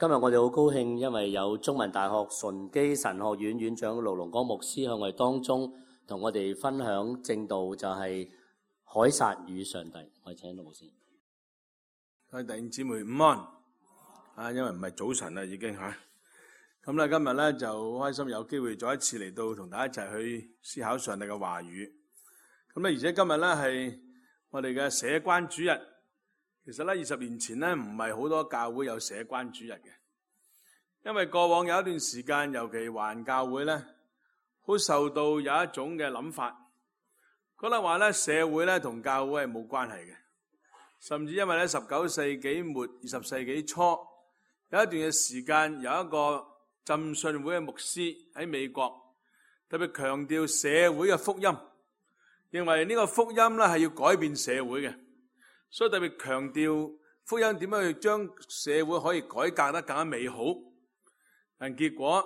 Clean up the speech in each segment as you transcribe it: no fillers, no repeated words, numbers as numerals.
今日我哋好高興，因為有中文大學順基神學院院長盧龍光牧師喺我哋當中同我哋分享正道，就係凱撒與上帝。我哋請盧牧師。各位弟兄姊妹午安，因為唔係早晨啦已經嚇。咁咧今日咧就好開心有機會再一次嚟到同大家一齊去思考上帝嘅話語。咁咧而且今日咧係我哋嘅社關主日。其實咧20年前咧唔係好多教會有社關主日嘅，因為過往有一段時間，尤其華人教會咧，好受到有一種嘅諗法，覺得話咧社會咧同教會係冇關係嘅，甚至因為咧19世紀末20世紀初有一段嘅時間，有一個浸信會嘅牧師喺美國特別強調社會嘅福音，認為呢個福音咧係要改變社會嘅。所以特別強調福音點樣去將社會可以改革得更加美好，但結果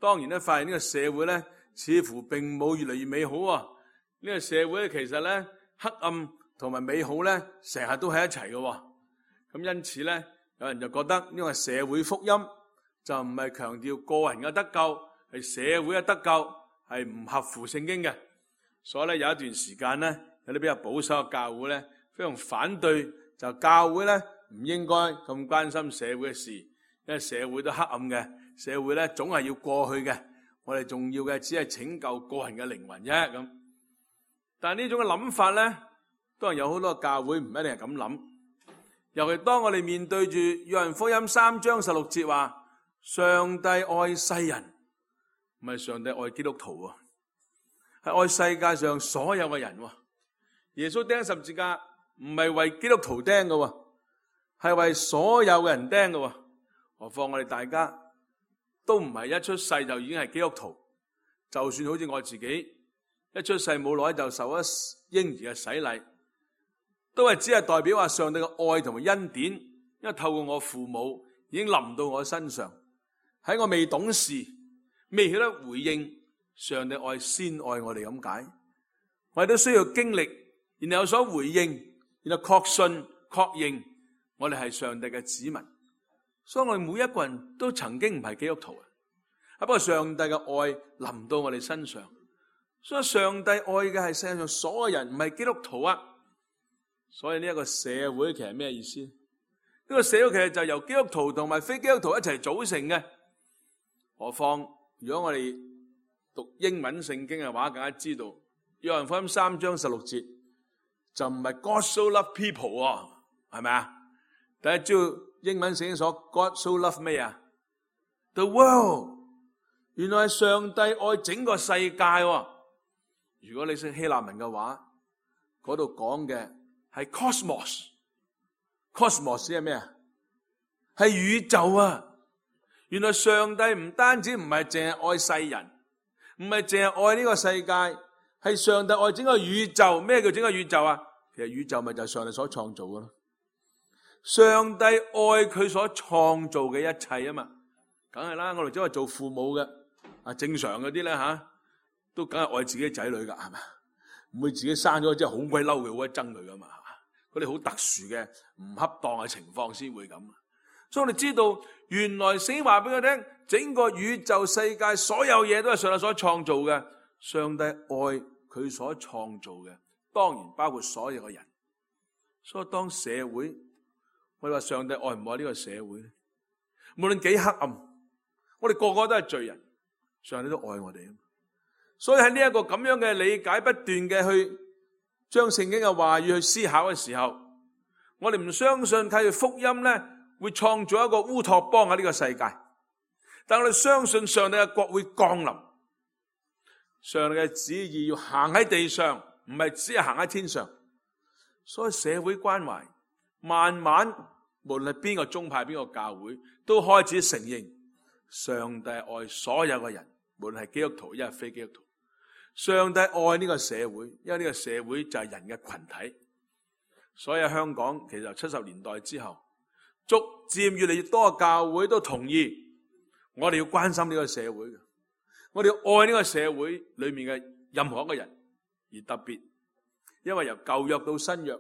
當然咧發現呢個社會咧似乎並冇越嚟越美好啊！呢個社會咧其實咧黑暗同埋美好咧成日都喺一齊嘅，咁因此咧有人就覺得呢個社會福音就唔係強調個人嘅得救，係社會嘅得救，係唔合乎聖經嘅。所以咧有一段時間咧有啲比較保守嘅教會咧非常反對，就教會咧唔應該咁關心社會嘅事，因為社會都黑暗嘅，社會咧總係要過去嘅，我哋重要嘅只係拯救個人嘅靈魂啫咁。但係呢種嘅諗法咧，當然有好多教會唔一定係咁諗。尤其當我哋面對住約翰福音3章16節話，上帝愛世人，唔係上帝愛基督徒喎，係愛世界上所有嘅人喎。耶穌釘十字架唔係為基督徒釘嘅，係為所有嘅人釘嘅。何況我哋大家都唔係一出世就已經係基督徒，就算好似我自己一出世冇耐就受咗嬰兒嘅洗禮，都係只係代表話上帝嘅愛同埋恩典，因為透過我父母已經臨到我身上，喺我未懂事、未曉得回應上帝愛先愛我哋咁解，我哋都需要經歷，然後有所回應，然後確信確認我哋係上帝嘅子民。所以我哋每一個人都曾經唔係基督徒，不過上帝嘅愛臨到我哋身上，所以上帝愛嘅係世界上所有人，唔係基督徒啊。所以呢一個社會其實係咩意思？呢個社會其實就由基督徒同埋非基督徒一齊組成嘅。何況如果我哋讀英文聖經嘅話，更加知道約翰福音3章16節就唔係 God so love people 啊，係咪啊？大家知道英文聖經所 God so love 咩啊 ？The world， 原來係上帝愛整個世界喎。如果你識希臘文嘅話，嗰度講嘅係 cosmos。cosmos 係咩啊？係宇宙啊！原來上帝唔單止唔係淨係愛世人，唔係淨係愛呢個世界，係上帝愛整個宇宙。咩叫整個宇宙啊？其實宇宙咪就係上帝所創造嘅咯。上帝愛佢所創造嘅一切啊嘛，梗係啦。我哋只係做父母嘅，正常嗰啲咧都梗係愛自己仔女噶，係咪？唔會自己生咗之後好鬼嬲佢，好鬼憎佢噶嘛。嗰啲好特殊嘅唔恰當嘅情況先會咁。所以我哋知道，原來聖經話俾我聽，整個宇宙世界所有嘢都係上帝所創造嘅。上帝愛佢所創造嘅，當然包括所有嘅人。所以當社會，我哋話上帝愛唔愛呢個社會咧？無論幾黑暗，我哋個個都係罪人，上帝都愛我哋。所以喺呢一個咁樣嘅理解，不斷嘅去將聖經嘅話語去思考嘅時候，我哋唔相信靠住福音咧會創造一個烏托邦喺呢個世界，但我哋相信上帝嘅國會降臨，上帝嘅旨意要行喺地上，唔係只係行喺天上。所以社會關懷慢慢，無論係邊個宗派邊個教會，都開始承認上帝愛所有嘅人，無論係基督徒亦係非基督徒。上帝愛呢個社會，因為呢個社會就係人嘅群體。所以喺香港其實70年代之後，逐漸越嚟越多嘅教會都同意我哋要關心呢個社會嘅，我哋要愛呢個社會裏面嘅任何一個人，而特別因為由舊約到新約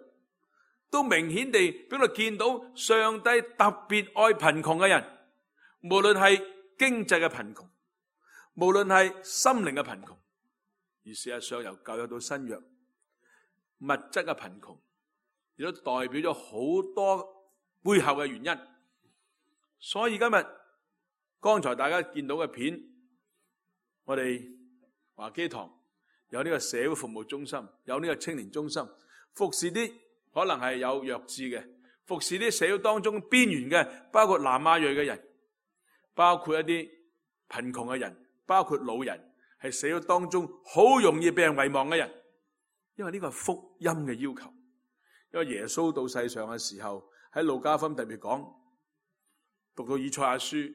都明顯地俾我哋見到上帝特別愛貧窮嘅人，無論係經濟嘅貧窮，無論係心靈嘅貧窮，而事實上由舊約到新約，物質嘅貧窮亦都代表咗好多背後嘅原因。所以今日剛才大家見到嘅片，我哋華基堂有呢個社會服務中心，有呢個青年中心，服侍啲可能係有弱智嘅，服侍啲社會當中邊緣嘅，包括南亞裔嘅人，包括一啲貧窮嘅人，包括老人，係社會當中好容易被人遺忘嘅人。因為呢個係福音嘅要求。因為耶穌到世上嘅時候，喺路加福音特別講，讀到以賽亞書，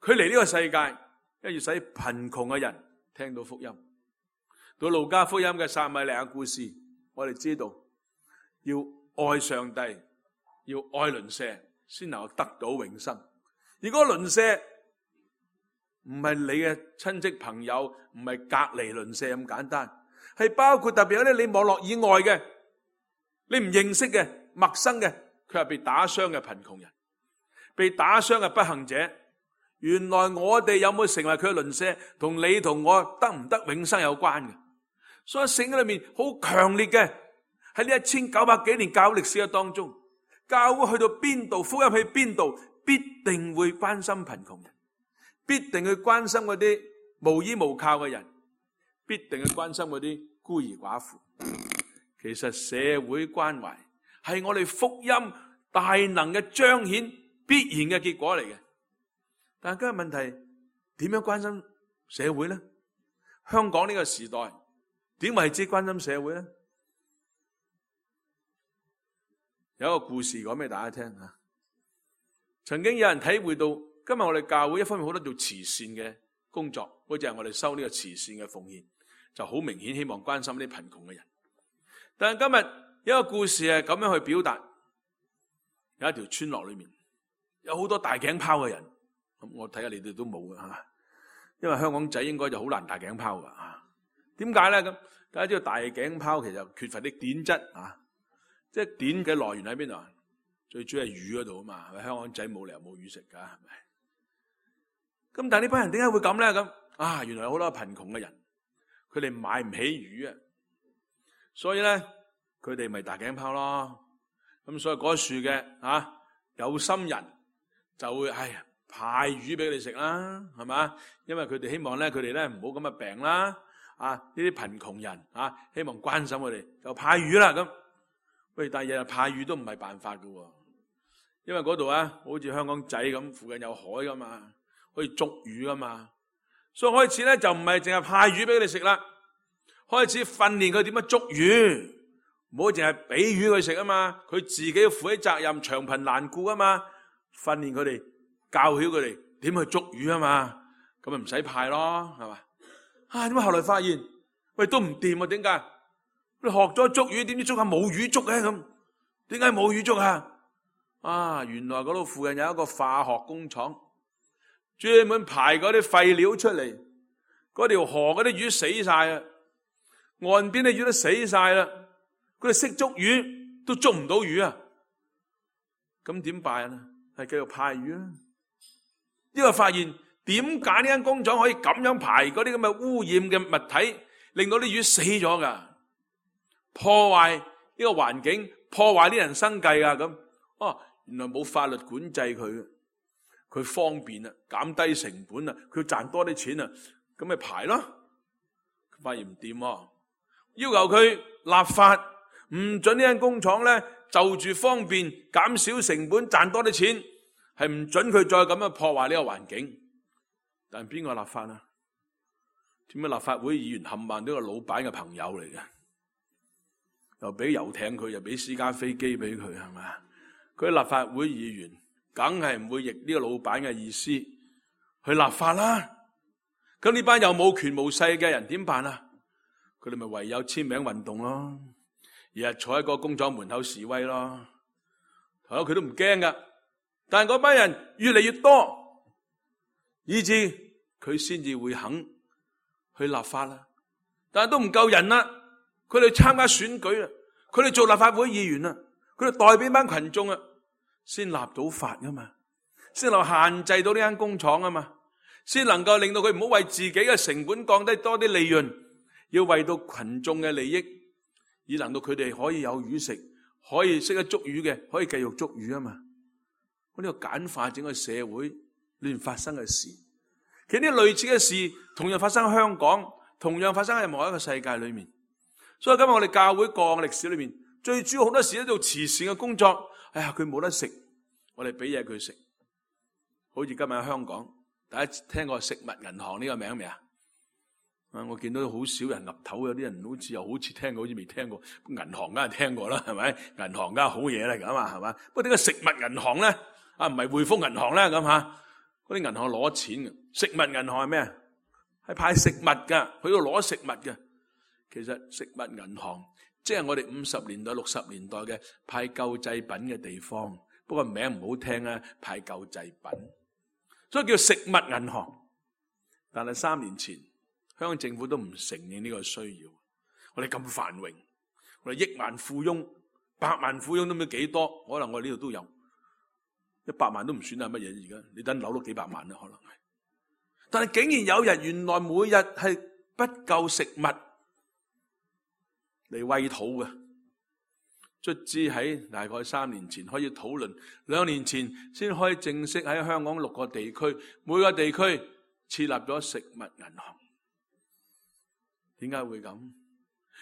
佢嚟呢個世界，因為要使貧窮嘅人聽到福音。到路加福音嘅撒米利亞故事，我哋知道要愛上帝，要愛鄰舍，先能夠得到永生。而嗰個鄰舍唔係你嘅親戚朋友，唔係隔離鄰舍咁簡單，係包括特別有啲你網絡以外嘅，你唔認識嘅、陌生嘅，佢係被打傷嘅貧窮人，被打傷嘅不幸者。原來我哋有冇成為佢嘅鄰舍，同你同我得唔得永生有關嘅。所以聖經裏面好強烈嘅，喺呢1900幾年教會歷史嘅當中，教會去到邊度，福音去邊度，必定會關心貧窮人，必定去關心嗰啲無依無靠嘅人，必定去關心嗰啲孤兒寡婦。其實社會關懷係我哋福音大能嘅彰顯必然嘅結果嚟嘅。但係今日問題，點樣關心社會呢？香港呢個時代點為之關心社會呢？有一個故事講俾大家聽吓。曾經有人體會到，今日我哋教會一方面好多做慈善嘅工作，好似係我哋收呢個慈善嘅奉獻，就好明顯希望關心啲貧窮嘅人。但係今日有一個故事係咁樣去表達，有一條村落裏面有好多大頸泡嘅人，咁我睇下你哋都冇嘅吓，因為香港仔應該就好難大頸泡噶吓。點解咧？咁大家知道大頸泡其實缺乏啲碘質啊，即係碘嘅來源喺邊度啊？最主要係魚嗰度啊嘛，係咪？香港仔冇理由冇魚食噶，係咪？咁但係呢班人點解會咁咧？咁啊，原來有好多貧窮嘅人，佢哋買唔起魚啊，所以咧佢哋咪大頸泡咯。咁所以嗰樹嘅有心人就會派魚俾你食啦，係嘛？因為佢哋希望咧，佢哋咧唔好咁嘅病啦。呢啲貧窮人希望關心佢哋，就派魚啦咁。喂，但係日日派魚都唔係辦法噶，因為嗰度好似香港仔咁，附近有海噶嘛，可以捉魚噶嘛。所以開始咧就唔係淨係派魚俾你食啦，開始訓練佢點樣捉魚，唔好淨係俾魚佢食啊嘛，佢自己要負起責任，長貧難顧啊嘛，訓練佢哋，教曉佢哋點去捉魚啊嘛，咁咪唔使派咯，係嘛？點解後來發現喂都唔掂啊？點解？你學咗捉魚，點知捉下冇魚捉嘅咁？點解冇魚捉啊？原來嗰度附近有一個化學工廠，專門排嗰啲廢料出嚟，嗰條河嗰啲魚死晒啊，岸邊啲魚都死晒啦，佢哋識捉魚都捉唔到魚啊！咁點辦啊？係繼續派魚啊！因為發現點解呢間工廠可以咁樣排嗰啲咁嘅污染嘅物體，令到啲魚死咗噶？破壞呢個環境，破壞啲人生計啊！咁原來冇法律管制佢，佢方便啊，減低成本啊，佢賺多啲錢啊，咁咪排咯。發現唔掂，要求佢立法，唔准呢間工廠咧就住方便減少成本賺多啲錢，係唔准佢再咁樣破壞呢個環境。但邊個立法啊？點解立法會議員冚唪唥都係老闆嘅朋友嚟嘅？又俾遊艇佢，又俾私家飛機俾佢，係咪？佢立法會議員梗係唔會逆呢個老闆嘅意思去立法啦。咁呢班又冇權無勢嘅人點辦啊？佢哋咪唯有簽名運動咯，日日坐喺個工廠門口示威咯。頭先佢都唔驚噶，但係嗰班人越嚟越多，以致佢先至會肯去立法啦。但係都唔夠人啦，佢哋參加選舉啦，佢哋做立法會議員啦，佢哋代表班群眾啊，先立到法噶嘛，先能限制到呢間工廠啊嘛，先能夠令到佢唔好為自己嘅成本降低多啲利潤，要為到群眾嘅利益，以能到佢哋可以有魚食，可以識得捉魚嘅可以繼續捉魚啊嘛。呢個簡化整個社會裏面發生嘅事，其實呢類似嘅事同樣發生喺香港，同樣發生喺某一個世界裏面。所以今日我哋教會過往嘅歷史裏面，最主要好多時都做慈善嘅工作。哎呀，佢冇得食，我哋俾嘢佢食。好似今日喺香港，大家聽過食物銀行呢個名未啊？我見到好少人岌頭，有啲人好似又好似聽過，好似未聽過。銀行梗係聽過啦，係咪？銀行梗係好嘢嚟噶嘛，係嘛？不過點解食物銀行咧？唔係匯豐銀行咧咁吓？嗰啲銀行攞錢嘅，食物銀行係咩啊？係派食物噶，去度攞食物嘅。其實食物銀行即係我哋50年代、60年代嘅派救濟品嘅地方，不過名唔好聽啊，派救濟品，所以叫食物銀行。但係3年前，香港政府都唔承認呢個需要。我哋咁繁榮，我哋億萬富翁、百萬富翁都唔知幾多，可能我哋呢度都有100萬都唔算係乜嘢。而家你等樓都幾百萬啦，可能係。但係竟然有人原來每日係不夠食物嚟餵肚嘅，卒之喺大概3年前開始討論，2年前先可以正式喺香港6個地區，每個地區設立咗食物銀行。點解會咁？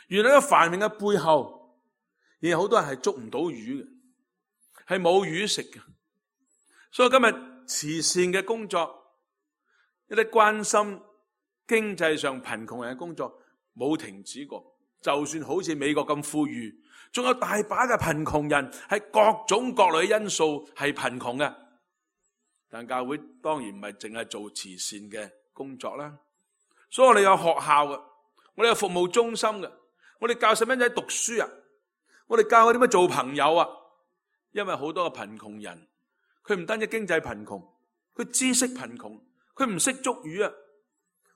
原來個繁榮嘅背後，而好多人係捉唔到魚嘅，係冇魚食嘅。所以今日慈善嘅工作，一啲關心經濟上貧窮人嘅工作冇停止過。就算好似美國咁富裕，仲有大把嘅貧窮人，係各種各類因素係貧窮嘅。但教會當然唔係淨係做慈善嘅工作啦，所以我哋有學校嘅，我哋有服務中心嘅，我哋教細蚊仔讀書啊，我哋教佢點樣做朋友啊。因為好多嘅貧窮人，佢唔單止經濟貧窮，佢知識貧窮，佢唔識捉魚啊。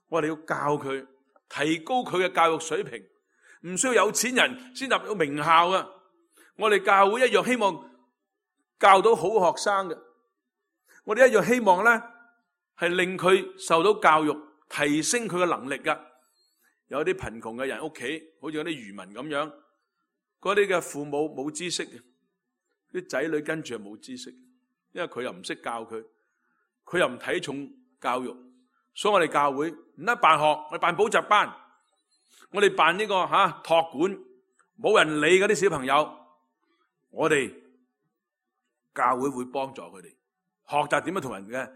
我哋要教佢，提高佢嘅教育水平。唔需要有錢人先入到名校啊！我哋教會一樣希望教到好學生嘅，我哋一樣希望咧係令佢受到教育，提升佢嘅能力噶。有啲貧窮嘅人屋企，好似有啲漁民咁樣，嗰啲嘅父母冇知識嘅，啲仔女跟住又冇知識，因為佢又唔識教佢，佢又唔睇重教育，所以我哋教會唔得辦學，我哋辦補習班。我哋辦呢個託管，冇人理嗰啲小朋友，我哋教會會幫助佢哋學習點樣同人嘅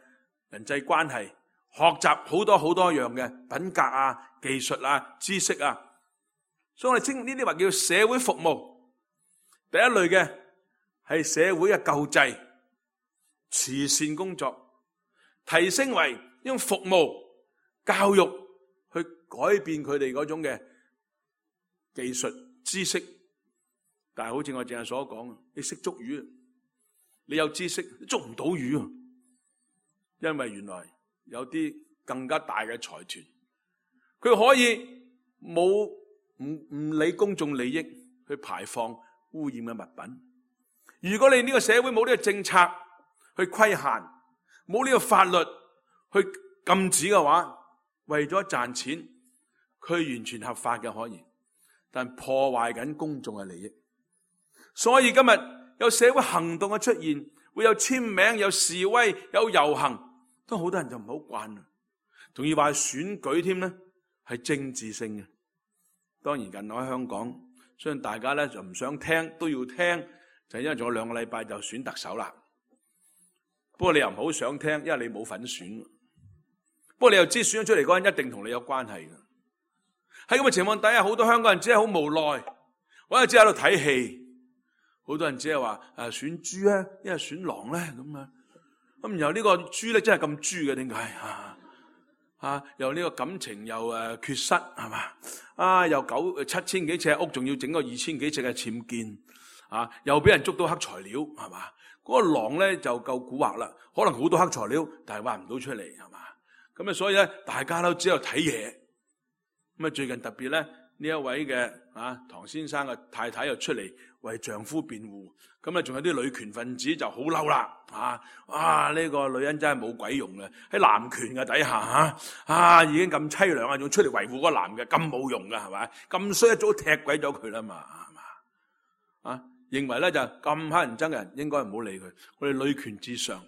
人際關係，學習好多好多樣嘅品格啊、技術啊、知識啊。所以我哋稱呢啲話叫社會服務。第一類嘅係社會嘅救濟、慈善工作，提升為用服務、教育。去改變佢哋嗰種嘅技術知識，但係好似我正係所講，你識捉魚，你有知識捉唔到魚，因為原來有啲更加大嘅財團，佢可以冇唔理公眾利益去排放污染嘅物品。如果你呢個社會冇呢個政策去規限，冇呢個法律去禁止嘅話，為咗賺錢，佢完全合法嘅可以，但破壞緊公眾嘅利益。所以今日有社會行動嘅出現，會有簽名、有示威、有遊行，都好多人就唔好慣啦。仲要話選舉添咧，係政治性嘅。當然近來喺香港，相信大家咧就唔想聽，都要聽，就因為仲有2個禮拜就選特首啦。不過你又唔好想聽，因為你冇份選。不過你又知選咗出嚟嗰人一定同你有關係嘅。喺咁嘅情況底下，好多香港人只係好無奈，或者只喺度睇戲。好多人只係話選豬啊，因為選狼咧咁啊。咁然後呢個豬咧真係咁豬嘅，點解又呢個感情又缺失係嘛？又7000幾尺屋，仲要整個2000幾尺嘅僭建又俾人捉到黑材料係嘛？嗰個狼咧就夠蠱惑啦，可能好多黑材料，但係挖唔到出嚟係嘛？咁啊，所以咧，大家都只有睇嘢。咁啊，最近特別咧，呢一位嘅唐先生嘅太太又出嚟為丈夫辯護。咁啊，仲有啲女權分子就好嬲啦，呢個女人真係冇鬼用嘅，喺男權嘅底下已經咁淒涼啊，仲出嚟維護嗰個男嘅，咁冇用噶係咪？咁衰一早踢鬼咗佢啦嘛，係嘛？認為咧就咁乞人憎嘅人應該唔好理佢。我哋女權至上，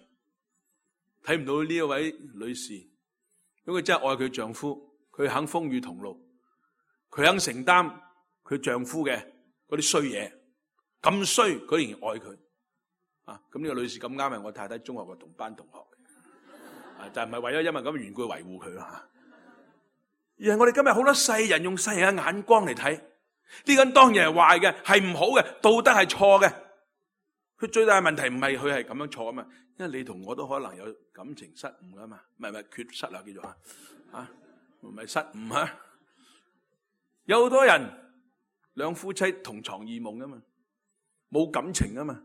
睇唔到呢一位女士，如果佢真係愛佢丈夫，佢肯風雨同路，佢肯承擔佢丈夫嘅嗰啲衰嘢。咁衰，佢仍然愛佢咁呢個女士咁啱係我太太中學嘅同班同學，就唔係為咗因為咁嘅緣故維護佢啦，而係我哋今日好多世人用世人嘅眼光嚟睇，呢個人當然係壞嘅，係唔好嘅，道德係錯嘅。佢最大嘅問題唔係佢係咁樣錯啊嘛，因為你同我都可能有感情失誤噶嘛，唔係缺失啊，叫做唔係失誤有好多人兩夫妻同床異夢噶嘛。冇感情啊嘛，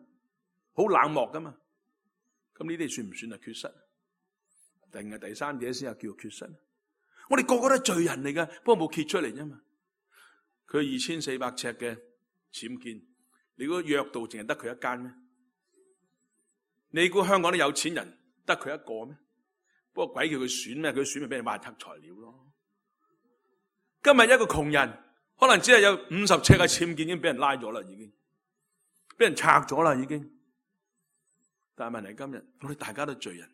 好冷漠噶嘛，咁呢啲算唔算係缺失？定係第三者先係叫做缺失？我哋個個都係罪人嚟噶，不過冇揭出嚟啫嘛。佢2400尺嘅僭建，你估約道淨係得佢一間咩？你估香港啲有錢人得佢一個咩？不過鬼叫佢選咩？佢選咪俾人挖黑材料咯。今日一個窮人可能只係有50尺嘅僭建已經俾人拉咗啦，已經。俾人拆咗啦，已經。但係問題今日，我哋大家都罪人，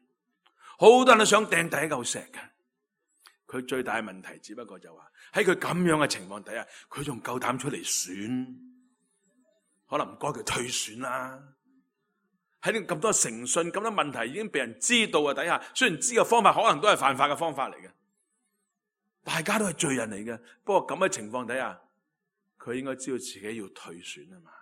好多人都想掟第一嚿石嘅。佢最大嘅問題，只不過就話喺佢咁樣嘅情況底下，佢仲夠膽出嚟選，可能唔該佢退選啦。喺呢咁多誠信、咁多問題已經被人知道嘅底下，雖然知嘅方法可能都係犯法嘅方法嚟嘅，大家都係罪人嚟嘅。不過咁嘅情況底下，佢應該知道自己要退選啊嘛。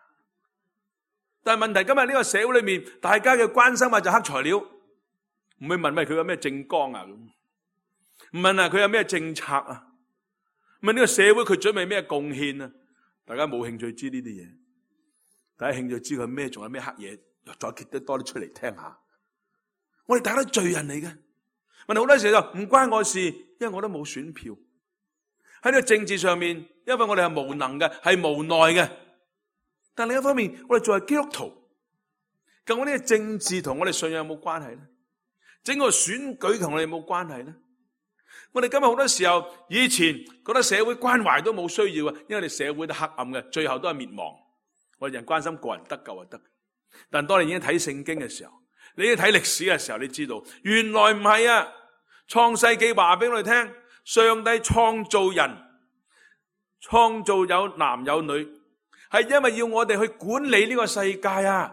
但係問題，今日呢個社會裏面，大家嘅關心就黑材料，唔會問佢有咩政綱啊，唔問佢有咩政策啊，問呢個社會佢準備咩貢獻啊，大家冇興趣知呢啲嘢，大家興趣知佢咩，仲有咩黑嘢，再揭得多啲出嚟聽下。我哋大家都罪人嚟嘅，問題好多時就唔關我事，因為我都冇選票。喺呢個政治上面，因為我哋係無能嘅，係無奈嘅。但另一方面，我哋作為基督徒，究竟呢個政治同我哋信仰有冇關係咧？整個選舉同我哋有冇關係咧？我哋今日好多時候，以前覺得社會關懷都冇需要啊，因為我哋社會都黑暗嘅，最後都係滅亡。我哋人關心個人得救就得。但當你已經睇聖經嘅時候，你已經睇歷史嘅時候，你知道原來唔係啊！創世記話俾我哋聽，上帝創造人，創造有男有女。係因為要我哋去管理呢個世界啊！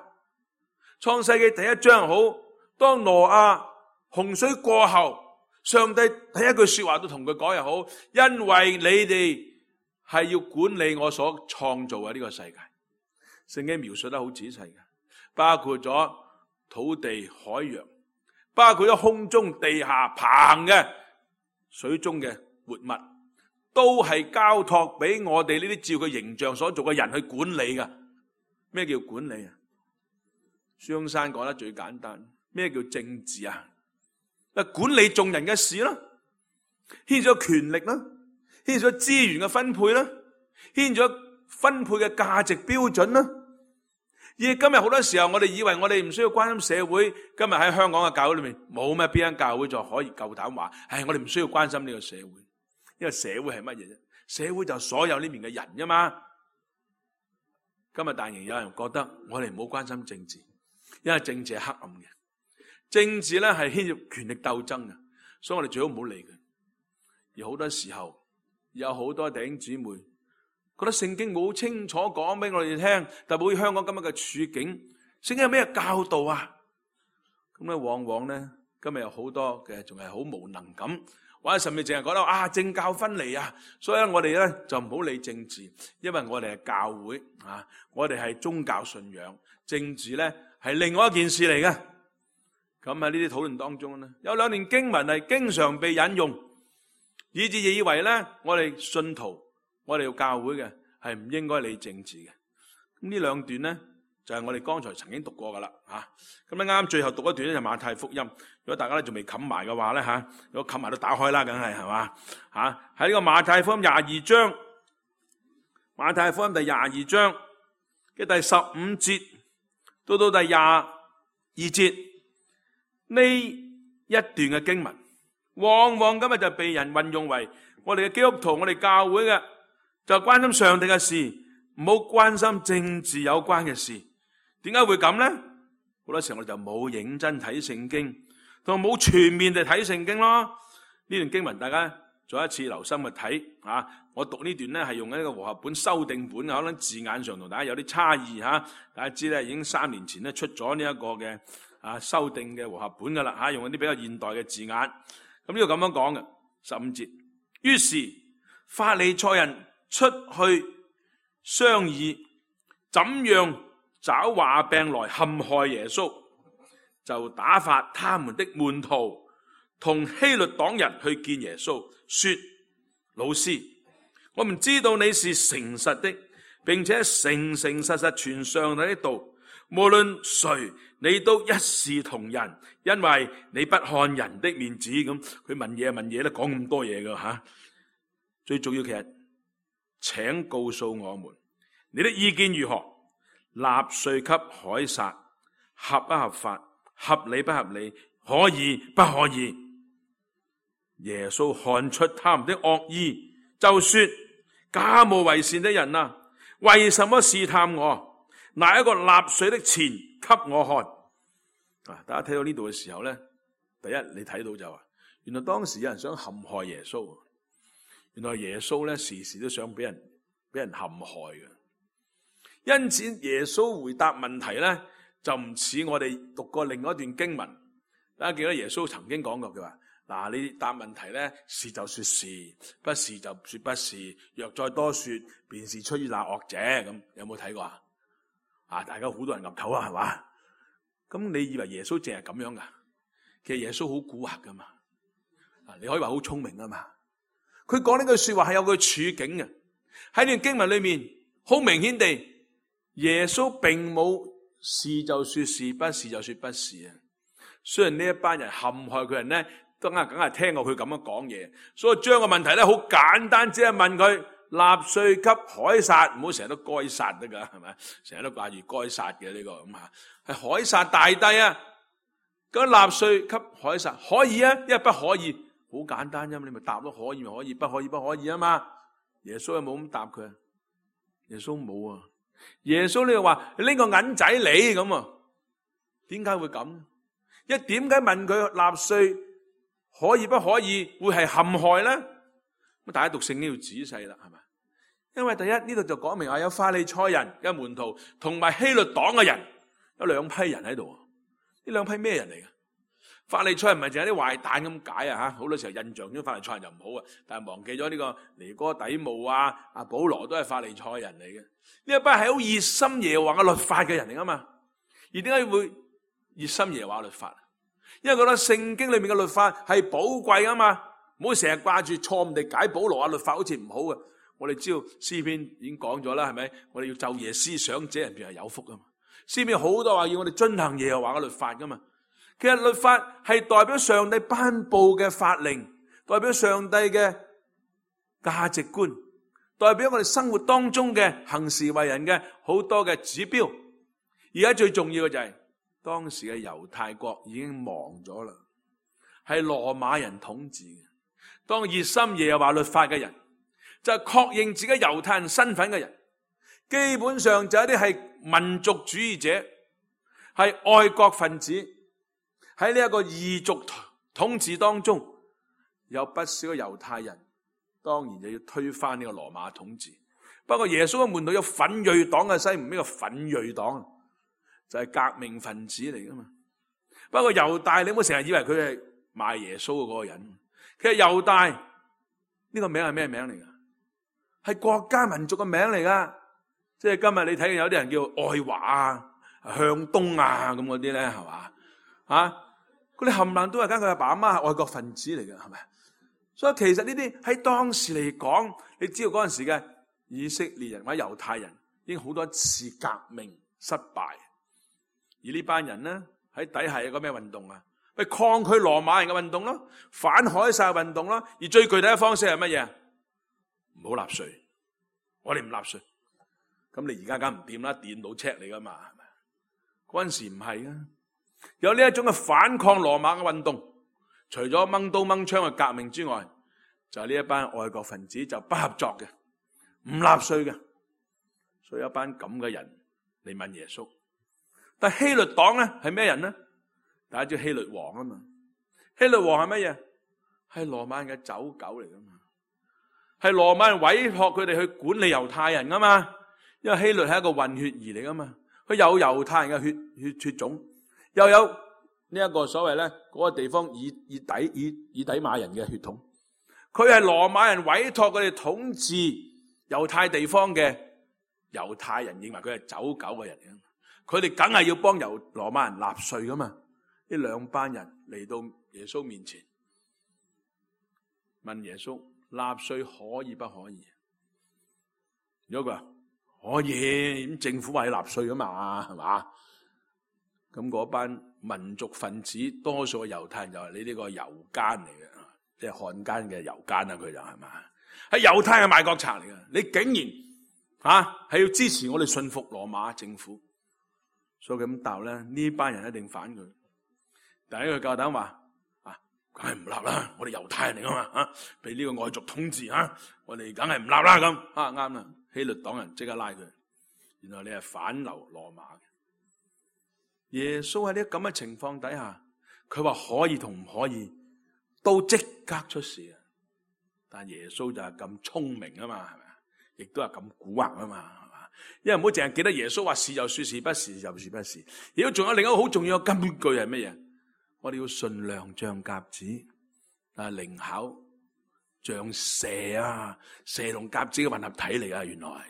創世記第1章好，當挪亞洪水過後，上帝第一句說話都同佢講又好，因為你哋係要管理我所創造嘅呢個世界。聖經描述得好仔細嘅，包括咗土地、海洋，包括咗空中、地下、棚嘅水中嘅活物。都係交託俾我哋呢啲照佢形象所做嘅人去管理噶。咩叫管理啊？張生講得最簡單。咩叫政治啊？管理眾人嘅事啦，牽咗權力啦，牽咗資源嘅分配啦，牽咗分配嘅價值標準啦。而今日好多時候，我哋以為我哋唔需要關心社會。今日喺香港嘅教會裏面，冇咩邊間教會就可以夠膽話，我哋唔需要關心呢個社會。因為社會係乜嘢啫？社會就所有呢面嘅人啫嘛。今日但仍有人覺得我哋唔好關心政治，因為政治係黑暗嘅，政治咧係牽涉權力鬥爭嘅，所以我哋最好唔好理佢。而好多時候有好多弟兄姊妹覺得聖經冇清楚講俾我哋聽，特別香港今日嘅處境，聖經有咩教導啊？咁咧往往咧今日有好多嘅仲係好無能感。或者甚至淨係覺得政教分離啊，所以我哋咧就唔好理政治，因為我哋係教會我哋係宗教信仰，政治咧係另外一件事嚟嘅。咁喺呢啲討論當中咧，有2段經文係經常被引用，以致以為咧我哋信徒，我哋要教會嘅係唔應該理政治嘅。咁呢2段咧就係我哋剛才曾經讀過噶啦咁咧啱最後讀一段咧就馬太福音。如果大家咧仲未冚埋嘅話咧如果冚埋都打開啦，梗係嘛喺呢個馬太福音22章，馬太福音第22章嘅第15節到第22節呢一段嘅經文，往往今日就被人運用為我哋嘅基督徒，我哋教會嘅就關心上帝嘅事，唔好關心政治有關嘅事。點解會咁呢？好多時候我哋就冇認真睇聖經，同冇全面地睇聖經咯。呢段經文大家再一次留心去睇啊！我讀呢段咧係用一個和合本修訂本，可能字眼上同大家有啲差異吓。大家知咧已經3年前咧出咗呢一個嘅修訂嘅和合本噶啦吓，用一啲比較現代嘅字眼。咁呢個咁樣講嘅15節，於是法利賽人出去商議，怎樣找話病來陷害耶穌，就打發他們的門徒同希律黨人去見耶穌，說：老師，我們知道你是誠實的，並且誠誠實實傳上帝的道，無論誰你都一視同仁，因為你不看人的面子。咁佢問嘢咧，講咁多嘢噶吓。最重要其實，請告訴我們你的意見如何？納稅給凱撒合不合法？合理不合理？可以不可以？耶穌看出他們的惡意，就說：假冒為善的人啊，為什麼試探我？拿一個納稅的錢給我看。大家睇到呢度嘅時候咧，第一你睇到就話，原來當時有人想陷害耶穌。原來耶穌咧時時都想俾人陷害嘅。因此耶穌回答問題咧，就唔似我哋讀過另外一段經文。大家記得耶穌曾經講過，佢話：嗱，你答問題咧，是就說是，不是就說不是。若再多說，便是出於那惡者。咁有冇睇過啊？大家好多人岌頭啊，係嘛？咁你以為耶穌淨係咁樣噶？其實耶穌好蠱惑噶嘛。你可以話好聰明啊嘛。佢講呢句說話係有個處境嘅。喺呢段經文裏面，好明顯地，耶穌並冇是就說是，不是就說不是啊。雖然呢一班人陷害佢人咧，梗係聽過佢咁樣講嘢，所以將個問題咧好簡單，只係問佢納稅給凱撒，唔好成日都該撒得噶，係咪？成日都掛住該撒嘅呢個咁吓，係凱撒大帝啊。咁納稅給凱撒可以啊，因為不可以，好簡單啫嘛，你咪答咯，可以咪可以，不可以不可以啊嘛。耶穌有冇咁答佢？耶穌冇啊。耶穌呢就話你拎個銀仔嚟咁啊？點解會咁？一點解問佢納稅可以不可以會係陷害咧？咁大家讀聖經要仔細啦，係咪？因為第一呢度就講明話有法利賽人嘅門徒同埋希律黨嘅人，有兩批人喺度。呢兩批咩人嚟嘅？法利賽人唔係淨係啲壞蛋咁解啊吓，好多時候印象中法利賽人就唔好啊，但係忘記咗呢個尼哥底母啊、阿保羅都係法利賽人嚟嘅。呢一班係好熱心耶和華嘅律法嘅人嚟噶嘛？而點解會熱心耶和華律法？因為覺得聖經裏面嘅律法係寶貴噶嘛，唔好成日掛住錯誤地解保羅啊律法好似唔好嘅。我哋知道詩篇已經講咗啦，係咪？我哋要晝夜思想，這人便係有福噶嘛。詩篇好多話要我哋遵行耶和華嘅律法噶嘛。其實律法係代表上帝頒布嘅法令，代表上帝嘅價值觀，代表我哋生活當中嘅行事為人嘅好多嘅指標。而家最重要嘅就係當時嘅猶太國已經亡咗啦，係羅馬人統治嘅。當熱心耶和華律法嘅人，就係確認自己猶太人身份嘅人，基本上就係一啲係民族主義者，係愛國分子。喺呢一個異族統治當中，有不少嘅猶太人，當然就要推翻呢個羅馬統治。不過耶穌嘅門徒有奮銳黨嘅西門，呢個奮銳黨就係革命分子嚟噶嘛。不過猶大，你唔好成日以為佢係賣耶穌嘅嗰個人。其實猶大呢個名係咩名嚟噶？係國家民族嘅名嚟噶。即係今日你睇見有啲人叫愛華啊、向東啊咁嗰啲咧，係嘛啊？嗰啲冚唪唥都係跟佢阿爸阿媽係愛國分子嚟嘅，係咪？所以其實呢啲喺當時嚟講，你知道嗰陣時嘅以色列人或者猶太人已經好多次革命失敗，而呢班人咧喺底下有個咩運動啊？咪抗拒羅馬人嘅運動咯，反凱撒運動咯。而最具體嘅方式係乜嘢？唔好納稅，我哋唔納稅。咁你而家梗唔掂啦，電腦 check 你噶嘛，係咪？嗰陣時唔係啊，有呢一種嘅反抗羅馬嘅運動，除咗掹刀掹槍嘅革命之外，就係呢一班外國分子就不合作嘅，唔納稅嘅，所以有一班咁嘅人嚟問耶穌。但希律黨咧係咩人咧？大家知希律王啊嘛，希律王係乜嘢？係羅馬人嘅走狗嚟噶嘛，係羅馬人委託佢哋去管理猶太人噶嘛，因為希律係一個混血兒嚟噶嘛，佢有猶太人嘅血種，又有呢一個所謂咧嗰個地方以底馬人嘅血統，佢係羅馬人委託佢哋統治猶太地方嘅猶太人，認為佢係走狗嘅人，佢哋梗係要幫羅馬人納稅噶嘛。呢兩班人嚟到耶穌面前，問耶穌納稅可以不可以？如果佢話可以，咁政府話要納稅噶嘛，係嘛？咁嗰班民族分子多數嘅猶太人就係你呢個猶奸嚟嘅，即係漢奸嘅猶奸啊！佢就係嘛，係猶太嘅賣國賊嚟嘅。你竟然係要支持我哋信服羅馬政府，所以咁答咧，呢班人一定反佢。第一佢夠膽話梗係唔立啦，我哋猶太人嚟噶嘛，被呢個外族統治我哋梗係唔立啦咁，啱啦。希律黨人即刻拉佢，原來你係反流羅馬嘅。耶穌喺呢咁嘅情況底下，佢話可以同唔可以都即刻出事啊！但耶穌就係咁聰明啊嘛，係咪？亦都係咁蠱惑啊嘛，係嘛？因為唔好淨係記得耶穌話是就說是，不是就說不是。如果仲有另一個好重要嘅根據係乜嘢？我哋要信良像鴿子，靈巧像蛇啊！蛇同鴿子嘅混合體嚟啊！原來，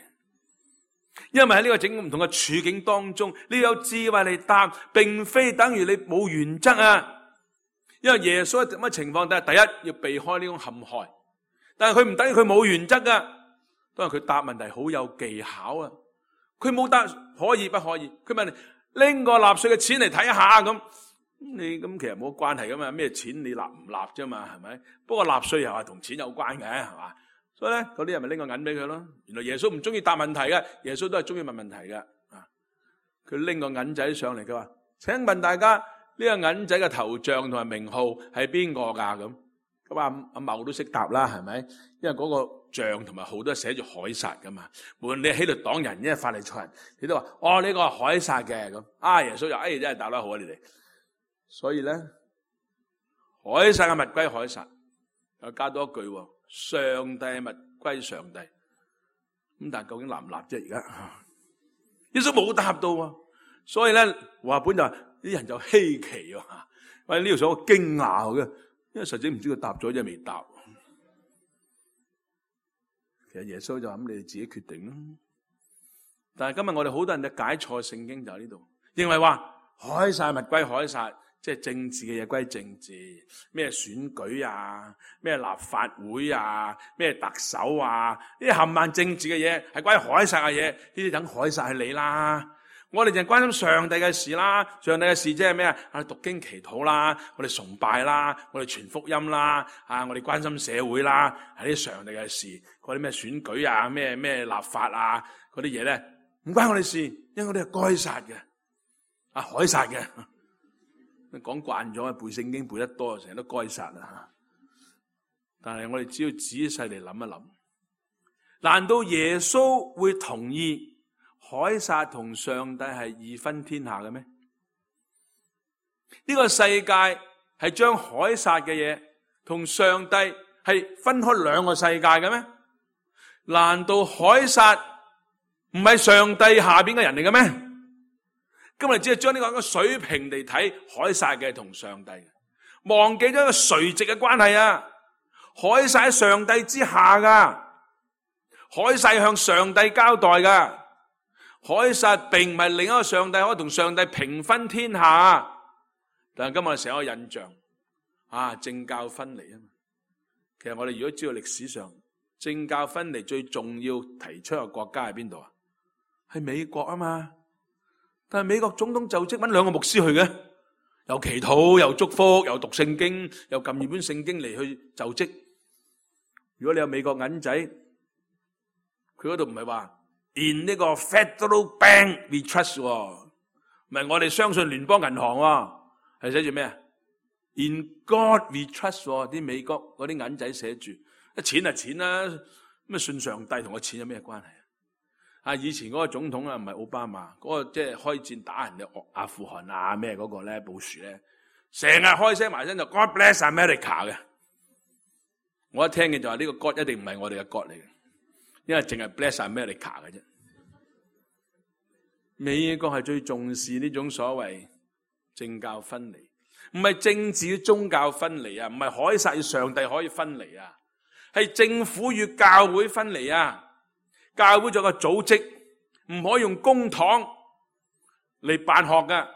因為喺呢個整個唔同嘅處境當中，你有智慧嚟答，並非等於你冇原則啊！因為耶穌喺乜情況底下，第一要避開呢種陷害，但係佢唔等於佢冇原則噶，當然佢答問題好有技巧啊！佢冇答可以不可以，佢問你拎個納稅嘅錢嚟睇下咁。你咁其實冇關係噶嘛，咩錢你納唔納啫嘛，係咪？不過納稅又係同錢有關嘅，係嘛？所以咧，嗰啲人咪拎個銀俾佢咯。原來耶穌唔中意答問題嘅，耶穌都係中意問問題嘅。佢拎個銀仔上嚟，佢話：請問大家呢個銀仔嘅頭像同埋名號係邊個噶？咁阿茂都識答啦，係咪？因為嗰個像同埋號都係寫住凱撒噶嘛。無論你係希律黨人，因為法利賽人，你都話：呢個係凱撒嘅咁。耶穌就真係答得好啊！你哋。所以咧，凱撒嘅物歸凱撒，又加多一句：上帝嘅物歸上帝。咁但係究竟立唔立啫？而家耶穌冇答到，所以咧話本就啲人就稀奇啊！喂，呢條所謂驚訝嘅，因為實際唔知佢答咗，即係未答。其實耶穌就話：咁你哋自己決定啦。但係今日我哋好多人就解錯聖經，就喺呢度，認為話凱撒物歸凱撒。即係政治嘅嘢歸政治，咩選舉啊，咩立法會啊，咩特首啊，呢啲冚唪唥政治嘅嘢係關於凱撒嘅嘢，呢啲等凱撒去理啦。我哋就關心上帝嘅事啦，上帝嘅事即係咩啊？讀經祈禱啦，我哋崇拜啦，我哋傳福音啦，我哋關心社會啦，係啲上帝嘅事。嗰啲咩選舉啊，咩立法啊，嗰啲嘢咧唔關我哋事，因為我哋係該撒嘅，凱撒嘅。講慣咗，背聖經背得多，成日都該殺啊！但係我哋只要仔細嚟諗一諗，難道耶穌會同意凱撒同上帝係二分天下嘅咩？呢個世界係將凱撒嘅嘢同上帝係分開兩個世界嘅咩？難道凱撒唔係上帝下邊嘅人嚟嘅咩？今日只係將呢個一個水平嚟睇凱撒嘅同上帝，忘記咗一個垂直嘅關係啊！凱撒喺上帝之下噶，凱撒向上帝交代噶，凱撒並唔係另一個上帝可以同上帝平分天下。但係今日成個印象政教分離啊嘛。其實我哋如果知道歷史上政教分離最重要提出嘅國家係邊度啊？係美國啊嘛。但係美國總統就職揾兩個牧師去嘅，又祈禱，又祝福，又讀聖經，又撳住本聖經嚟去就職。如果你有美國銀仔，佢嗰度唔係話 In 呢個 Federal Bank we trust 唔係我哋相信聯邦銀行係寫住咩啊 ？In God we trust 啲美國嗰啲銀仔寫住，錢係錢啦，咁信上帝同個錢有咩關係啊？以前嗰個總統啊，唔係奧巴馬，嗰個即係開戰打人嘅阿富汗啊咩嗰個咧，布殊咧，成日開聲埋身就 God bless America 嘅。我一聽嘅就話呢個 God 一定唔係我哋嘅 God 嚟嘅，因為淨係 bless America 嘅啫。美國係最重視呢種所謂政教分離，唔係政治與宗教分離啊，唔係凱撒與上帝可以分離啊，係政府與教會分離啊。教會做個組織，唔可以用公帑嚟辦學噶，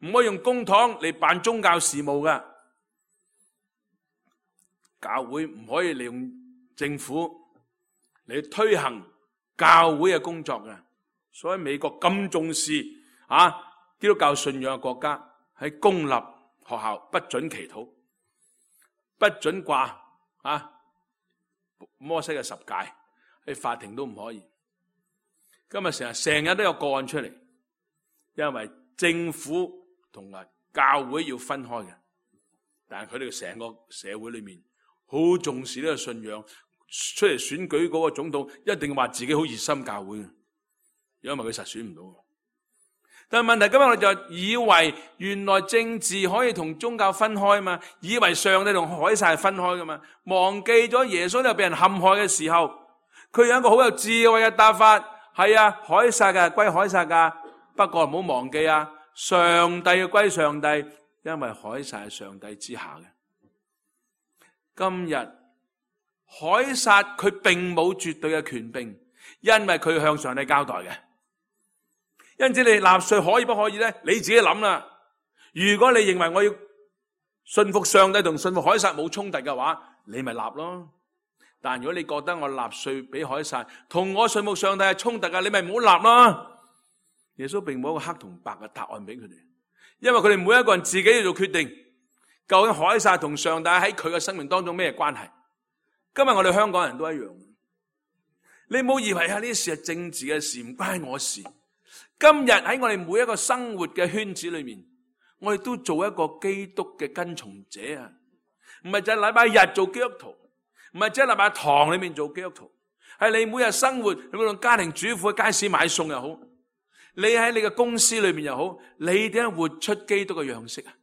唔可以用公帑嚟辦宗教事務噶。教會唔可以利用政府嚟推行教會嘅工作嘅。所以美國咁重視基督教信仰嘅國家，喺公立學校不准祈禱，不准掛摩西嘅十誡，喺法庭都唔可以。今日成日都有個案出嚟，因為政府同埋教會要分開嘅，但係佢哋成個社會裏面好重視呢個信仰，出嚟選舉嗰個總統一定話自己好熱心教會嘅。因為佢實選唔到，但係問題今日我哋就以為原來政治可以同宗教分開嘛，以為上帝同凱撒係分開噶嘛，忘記咗耶穌又被人陷害嘅時候，佢有一個好有智慧嘅答法，係啊，凱撒嘅歸凱撒噶，不過唔好忘記啊，上帝嘅歸上帝，因為凱撒係上帝之下嘅。今日凱撒佢並冇絕對嘅權柄，因為佢向上帝交代嘅。因此你納稅可以不可以咧？你自己諗啦。如果你認為我要信服上帝同信服凱撒冇衝突嘅話，你咪納咯。但如果你覺得我納稅俾凱撒同我信服上帝係衝突嘅，你咪唔好納咯。耶穌並冇一個黑同白嘅答案俾佢哋，因為佢哋每一個人自己要做決定，究竟凱撒同上帝喺佢嘅生命當中咩關係？今日我哋香港人都一樣，你唔好以為呢啲事係政治嘅事，唔關我事。今日喺我哋每一個生活嘅圈子裏面，我哋都做一個基督嘅跟從者啊！唔係就係禮拜日做基督徒，唔係即係禮拜堂裏面做基督徒，係你每日生活，你無論家庭主婦喺街市買餸又好，你喺你嘅公司裏面又好，你點樣活出基督嘅樣式啊？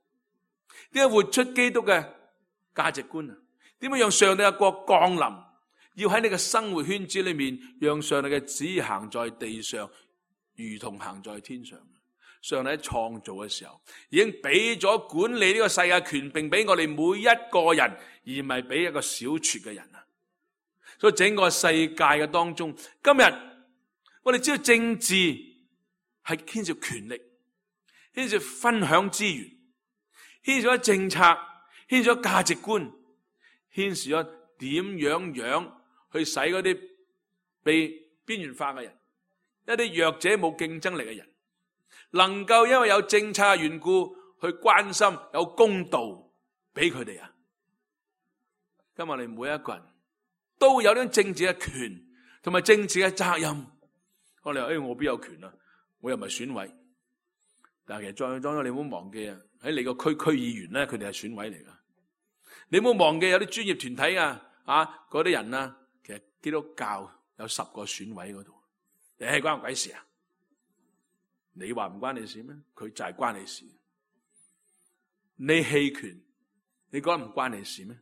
點樣活出基督嘅價值觀啊？點樣讓上帝嘅國降臨？要喺你嘅生活圈子裏面，讓上帝嘅旨意行在地上，如同行在天上。上帝喺創造嘅時候，已經俾咗管理呢個世界權柄俾我哋每一個人，而唔係俾一個小撮嘅人啊！所以整個世界嘅當中，今日我哋知道政治係牽涉權力，牽涉分享資源，牽涉咗政策，牽涉咗價值觀，牽涉咗點樣去使嗰啲被邊緣化嘅人，一啲弱者冇競爭力嘅人，能夠因為有政策嘅緣故去關心，有公道俾佢哋啊！今日我哋每一個人都有呢種政治嘅權同埋政治嘅責任。我哋話我邊有權啊？我又唔係選委。但係其實再當你唔好忘記啊，喺你個區議員咧，佢哋係選委嚟噶。你唔好忘記有啲專業團體啊，嗰啲人啊，其實基督教有10個選委嗰度。關我鬼事啊？你話唔關你事咩？佢就係關你事。你棄權，你覺得唔關你事咩？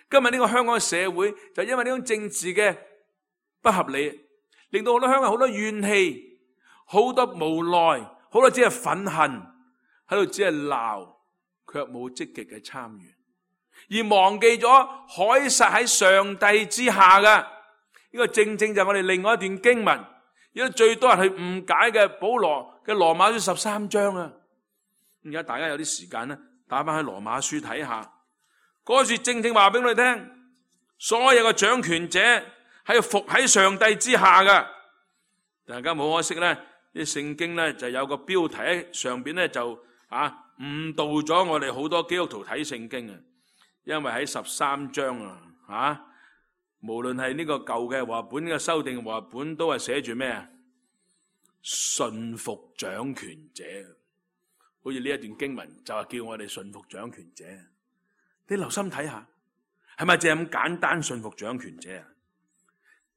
今日呢個香港嘅社會就因為呢種政治嘅不合理，令到好多香港好多怨氣，好多無奈，好多只係憤恨，喺度只係鬧，卻冇積極嘅參與，而忘記咗凱撒喺上帝之下嘅。呢個正正就係我哋另外一段經文，而家最多人去誤解嘅保羅嘅羅馬書13章啊！而家大家有啲時間咧，打翻喺羅馬書睇下，嗰處正正話俾我哋聽，所有嘅掌權者係服喺上帝之下嘅。大家冇可惜咧，啲聖經咧就有個標題喺上邊咧就誤導咗我哋好多基督徒睇聖經啊！因為喺13章無論係呢個舊嘅和合本嘅修訂和合本，都係寫住咩啊？順服掌權者。好似呢一段經文就係叫我哋順服掌權者。你留心睇下，係咪淨係咁簡單順服掌權者啊？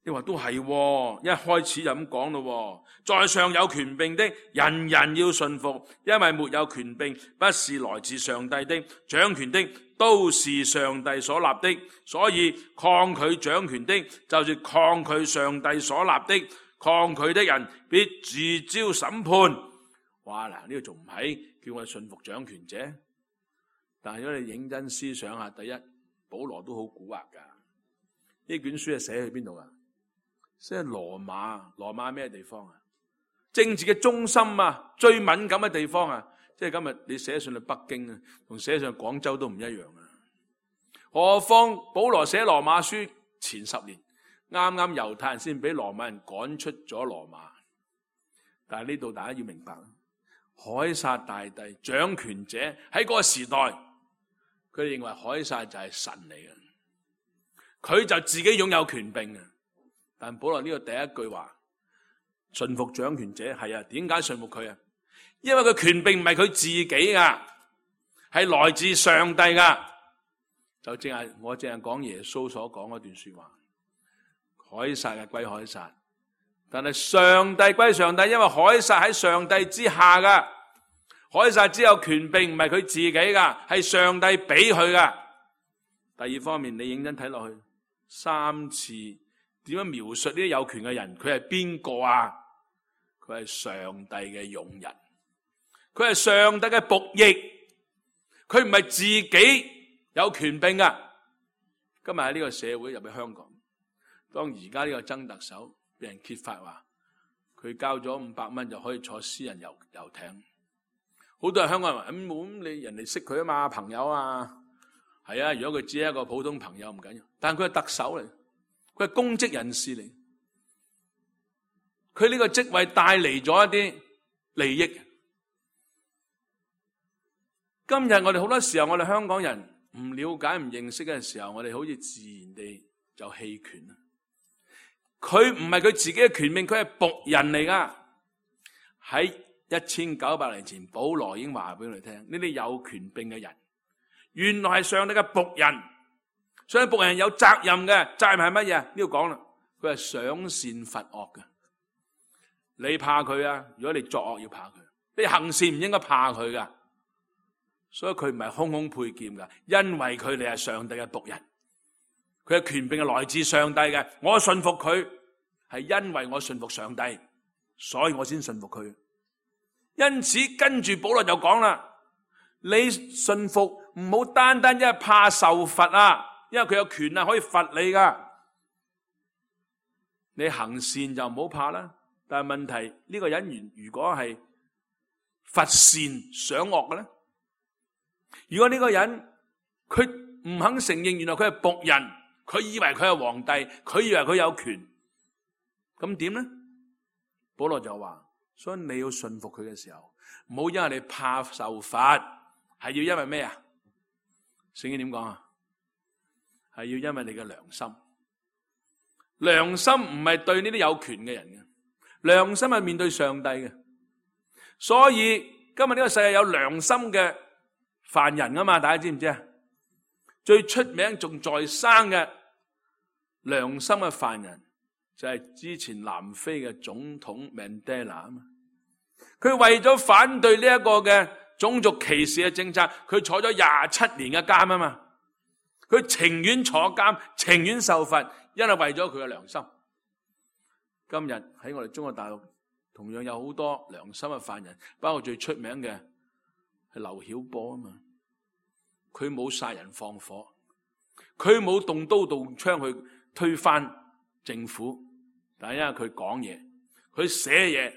你話都係，一開始就咁講咯。在上有權柄的，人人要順服，因為沒有權柄不是來自上帝的，掌權的都是上帝所立的，所以抗拒掌權的，就是抗拒上帝所立的，抗拒的人必自招審判。哇！嗱，呢個仲唔係叫我哋順服掌權者？但係如果你認真思想下，第一，保羅都好蠱惑噶。呢卷書係寫去邊度啊？寫喺羅馬。羅馬咩地方啊？政治嘅中心啊，最敏感嘅地方啊。即係今日你寫上去北京啊，同寫上去廣州都唔一樣啊。何況保羅寫羅馬書前10年，啱啱猶太人先俾羅馬人趕出咗羅馬。但係呢度大家要明白，凱撒大帝掌權者喺嗰個時代，佢哋認為凱撒就係神嚟嘅，佢就自己擁有權柄嘅。但保羅呢個第一句話，順服掌權者，係啊，點解順服佢啊？因為佢權柄唔係佢自己噶，係來自上帝噶。就我淨係講耶穌所講嗰段說話，凱撒係歸凱撒，但係上帝歸上帝，因為凱撒喺上帝之下噶。凱撒只有權柄，唔係佢自己噶，係上帝俾佢噶。第二方面，你認真睇落去，3次點樣描述呢啲有權嘅人？佢係邊個啊？佢係上帝嘅用人，佢係上帝嘅僕役，佢唔係自己有權柄噶。今日喺呢個社會入去香港，當而家呢個曾特首俾人揭發話，佢交咗500蚊就可以坐私人遊艇，好多人香港人話咁你人哋識佢啊嘛，朋友啊，係啊，如果佢只係一個普通朋友唔緊要，但係佢係特首嚟，佢係公職人士嚟，佢呢個職位帶嚟咗一啲利益。今日我哋好多時候，我哋香港人唔了解、唔認識嘅時候，我哋好似自然地就棄權。佢唔係佢自己嘅權柄，佢係僕人嚟噶。喺1900年前，保羅已經話俾我哋聽，呢啲有權柄嘅人，原來係上帝嘅僕人。所以僕人有責任嘅，責任係乜嘢？呢度講啦，佢係賞善罰惡嘅。你怕佢啊？如果你作惡要怕佢，你行善唔應該怕佢噶。所以佢唔係空空佩劍噶，因為佢哋係上帝嘅僕人，佢嘅權柄係來自上帝嘅。我信服佢係因為我信服上帝，所以我先信服佢。因此跟住保羅就講啦，你信服唔好單單因為怕受罰啊，因為佢有權啊可以罰你噶。你行善就唔好怕啦，但係問題呢個人如果係罰善賞惡嘅咧？如果呢個人佢唔肯承認原來佢係僕人，佢以為佢係皇帝，佢以為佢有權，咁點咧？保羅就話，所以你要順服佢嘅時候，唔好因為你怕受罰，係要因為咩啊？聖經點講啊？係要因為你嘅良心。良心唔係對呢啲有權嘅人嘅，良心係面對上帝嘅。所以今日呢個世界有良心嘅犯人啊嘛，大家知唔知啊？最出名仲在生嘅良心嘅犯人就係之前南非嘅總統曼德拉啊嘛。佢為咗反對呢一個嘅種族歧視嘅政策，佢坐咗27年嘅監啊嘛。佢情願坐監，情願受罰，因為為咗佢嘅良心。今日喺我哋中國大陸同樣有好多良心嘅犯人，包括最出名嘅係劉曉波啊嘛。佢冇殺人放火，佢冇動刀動槍去推翻政府，但係因為佢講嘢，佢寫嘢，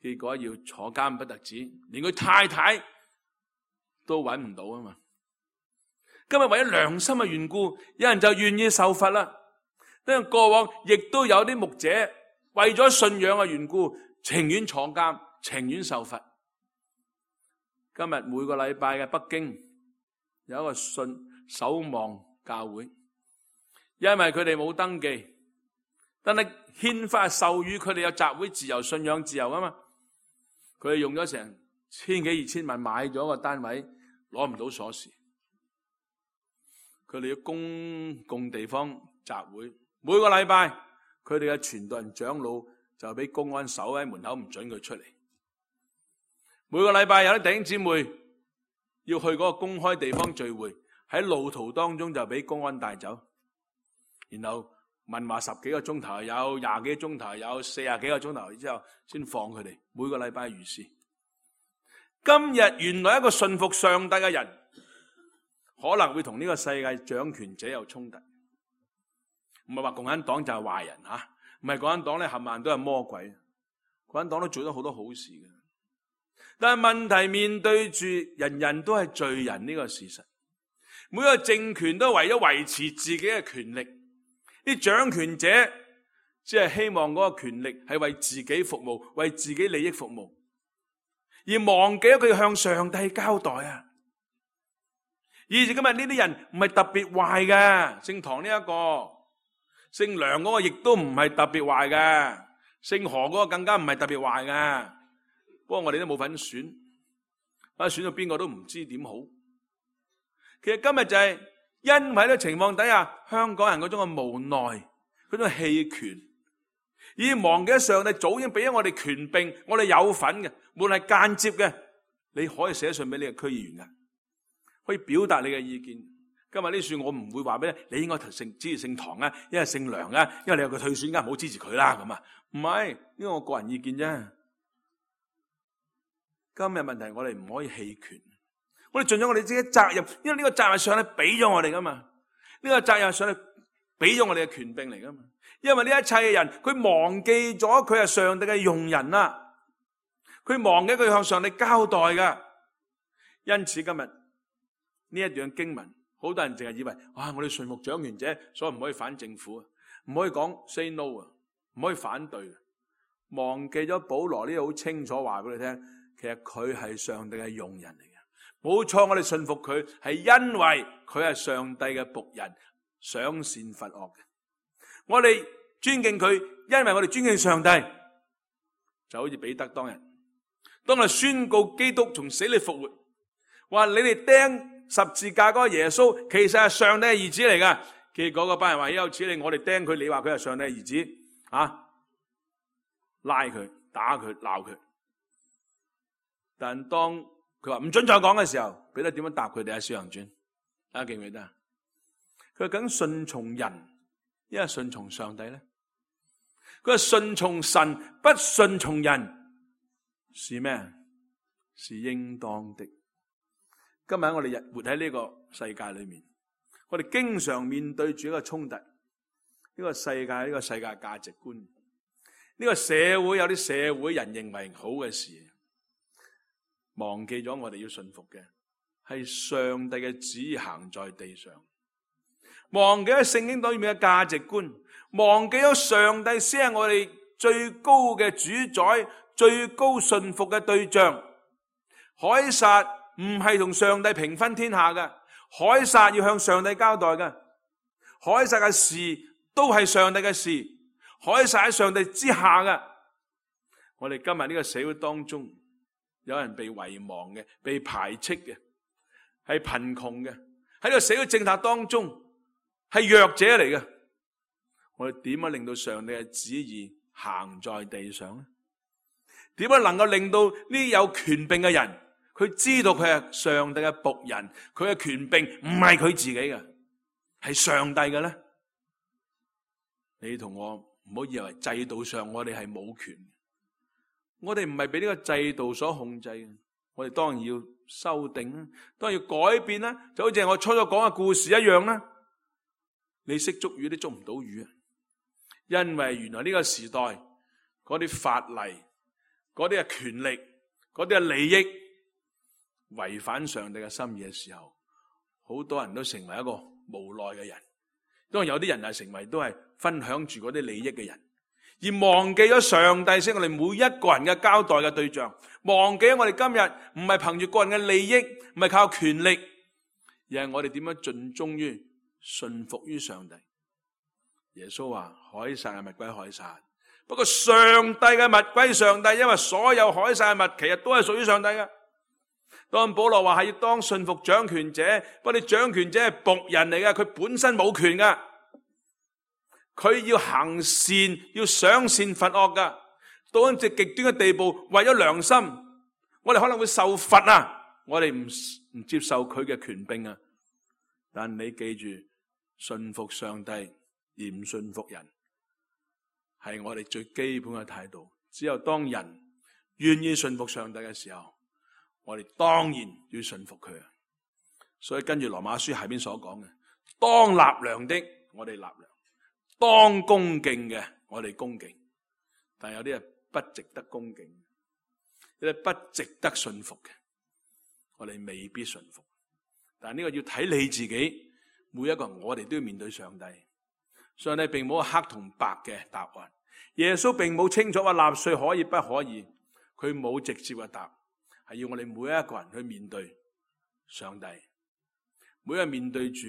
結果要坐監不特止，連佢太太都揾唔到啊嘛。今日為咗良心嘅緣故，有人就願意受罰啦。因為過往亦都有啲牧者為咗信仰嘅緣故，情願坐監，情願受罰。今日每個禮拜嘅北京有一個守望教會，因為佢哋冇登記，但係憲法授予佢哋有集會自由、信仰自由啊嘛。佢哋用咗成千幾2000萬買咗個單位，攞唔到鎖匙。佢哋要公共地方集會，每個禮拜佢哋嘅傳道人長老就俾公安守喺門口，唔准佢出嚟。每個禮拜有啲弟兄姊妹要去嗰個公開地方聚會，喺路途當中就俾公安帶走，然後問話10幾個鐘頭，有20幾個鐘頭，有40幾個鐘頭之後先放佢哋。每個禮拜如是。今日原來一個信服上帝嘅人，可能會同呢個世界掌權者有衝突。唔係話共產黨就係壞人吓，唔係共產黨咧冚唪唥都係魔鬼，共產黨都做咗好多好事嘅。但係問題面對住人人都係罪人呢個事實，每個政權都為咗維持自己嘅權力，啲掌權者只係希望嗰個權力係為自己服務，為自己利益服務，而忘記咗佢向上帝交代啊！以至今日呢啲人唔係特別壞嘅，姓唐呢一個，姓梁嗰個亦都唔係特別壞嘅，姓何嗰個更加唔係特別壞嘅。不過我哋都冇份選，選到邊個都唔知點好。其實今日就係因為呢個情況底下，香港人嗰種嘅無奈，嗰種棄權，已經忘記咗上帝早已經俾咗我哋權柄，我哋有份嘅，無論係間接嘅，你可以寫信俾你嘅區議員嘅，可以表達你嘅意見。今日呢樹我唔會話俾你，你應該支持姓唐啊，因為姓梁啊，因為你有個退選㗎，唔好支持佢啦咁啊。唔係，呢個我個人意見啫。今日問題我哋唔可以棄權，我哋盡咗我哋自己責任，因為呢個責任上帝俾咗我哋噶嘛，呢個責任上帝俾咗我哋嘅權柄嚟噶嘛。因為呢一切嘅人，佢忘記咗佢係上帝嘅用人啦，佢忘記佢向上帝交代噶。因此今日呢一段經文，好多人淨係以為，哇！我哋順服掌權者，所以唔可以反政府啊，唔可以講 say no 啊，唔可以反對。忘記咗保羅呢度好清楚話俾你聽。其實佢係上帝嘅用人嚟嘅，冇錯。我哋信服佢係因為佢係上帝嘅僕人，賞善罰惡嘅。我哋尊敬佢，因為我哋尊敬上帝。就好似彼得當日，當佢宣告基督從死裏復活，話你哋釘十字架嗰個耶穌，其實係上帝嘅兒子嚟噶。結果嗰班人話有此理，我哋釘佢，你話佢係上帝嘅兒子啊？拉佢、打佢、鬧佢。但當佢話唔准再講嘅時候，彼得點樣答佢哋喺《使徒行傳》？大家記唔記得？佢話梗順從人，因為順從上帝咧。佢話順從神，不順從人，是咩？是應當的。今日我哋活喺呢個世界裏面，我哋經常面對住一個衝突，呢個世界價值觀，呢個社會有啲社會人認為好嘅事。忘記咗我哋要信服嘅係上帝嘅旨意行在地上，忘記咗聖經裏面嘅價值觀，忘記咗上帝先係我哋最高嘅主宰，最高信服嘅對象。凱撒唔係同上帝平分天下嘅，凱撒要向上帝交代嘅，凱撒嘅事都係上帝嘅事，凱撒喺上帝之下嘅。我哋今日呢個社會當中，有人被遺忘嘅，被排斥嘅，係貧窮嘅，喺呢個社會政策當中係弱者嚟嘅。我哋點樣令到上帝嘅旨意行在地上呢？點樣能夠令到呢啲有權柄嘅人，佢知道佢係上帝嘅僕人，佢嘅權柄唔係佢自己嘅，係上帝嘅咧？你同我唔好以為制度上我哋係冇權。我哋唔係俾呢個制度所控制嘅，我哋當然要修訂啦，當然要改變啦，就好似我初初講嘅故事一樣啦。你識捉魚都捉唔到魚啊！因為原來呢個時代嗰啲法例、嗰啲嘅權力、嗰啲嘅利益違反上帝嘅心意嘅時候，好多人都成為一個無奈嘅人。當然有啲人係成為都係分享住嗰啲利益嘅人。而忘記咗上帝先我哋每一個人嘅交代嘅對象，忘記咗我哋今日唔係憑住個人嘅利益，唔係靠權力，而係我哋點樣盡忠於、順服於上帝。耶穌話凱撒嘅物歸凱撒，不過上帝嘅物歸上帝，因為所有凱撒嘅物其實都係屬於上帝嘅。當保羅話係要當順服掌權者，不過你掌權者係僕人嚟嘅，佢本身冇權㗎，佢要行善，要賞善罰惡㗎。到一隻極端嘅地步，為咗良心，我哋可能會受罰啊！我哋唔接受佢嘅權柄啊！但你記住，信服上帝而唔信服人，係我哋最基本嘅態度。只有當人願意信服上帝嘅時候，我哋當然要信服佢啊！所以跟住羅馬書下邊所講嘅，當納糧的我哋納糧，當恭敬嘅我哋恭敬，但有啲人不值得恭敬，有啲不值得信服嘅，我哋未必信服。但呢個要睇你自己，每一個人我哋都要面對上帝。上帝並冇黑同白嘅答案，耶穌並冇清楚話納稅可以不可以，佢冇直接嘅答，係要我哋每一個人去面對上帝。每一個人面對住，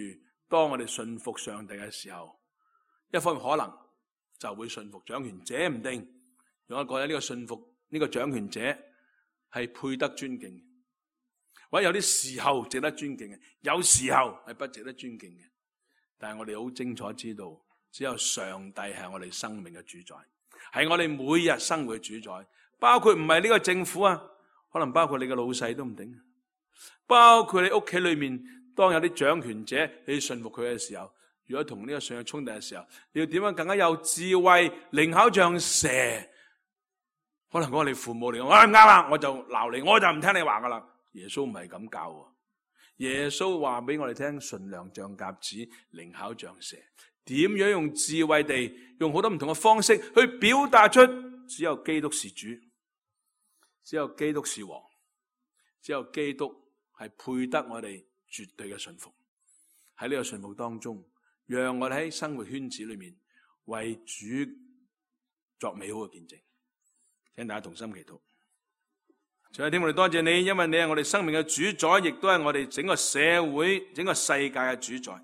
當我哋信服上帝嘅時候，一方面可能就會信服掌權者，唔定。如果覺得呢個信服呢個掌權者係配得尊敬，或者有啲時候值得尊敬嘅，有時候係不值得尊敬嘅。但係我哋好清楚知道，只有上帝係我哋生命嘅主宰，係我哋每日生活嘅主宰。包括唔係呢個政府啊，可能包括你嘅老細都唔定，包括你屋企裏面，當有啲掌權者你信服佢嘅時候，如果同呢個上有衝突嘅時候，你要點樣更加有智慧，靈巧像蛇？可能講你父母嚟講，唔啱啦，我就鬧你，我就唔聽你話噶啦。耶穌唔係咁教喎，耶穌話俾我哋聽，純良像鴿子，靈巧像蛇。點樣用智慧地，用好多唔同嘅方式去表達出，只有基督是主，只有基督是王，只有基督係配得我哋絕對嘅信服。喺呢個信服當中，讓我哋喺生活圈子裏面為主作美好嘅見證。請大家同心祈禱。主啊，天父，我哋多謝你，因為你係我哋生命嘅主宰，亦都係我哋整個社會、整個世界嘅主宰。